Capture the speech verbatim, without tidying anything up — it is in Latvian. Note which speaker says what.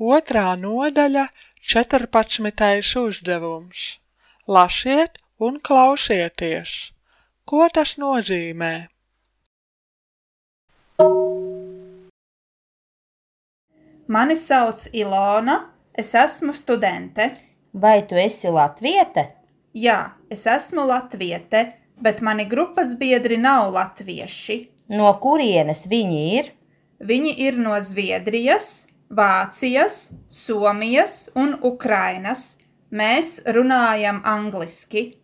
Speaker 1: Otrā nodaļa, četrpadsmitais uzdevums. Lasiet un klausieties. Ko tas nozīmē?
Speaker 2: Mani sauc Ilona, es esmu studente.
Speaker 3: Vai tu esi latviete?
Speaker 2: Jā, es esmu latviete, bet mani grupas biedri nav latvieši.
Speaker 3: No kurienes viņi ir?
Speaker 2: Viņi ir no Zviedrijas, Vācijas, Somijas un Ukrainas. Mēs runājam angliski.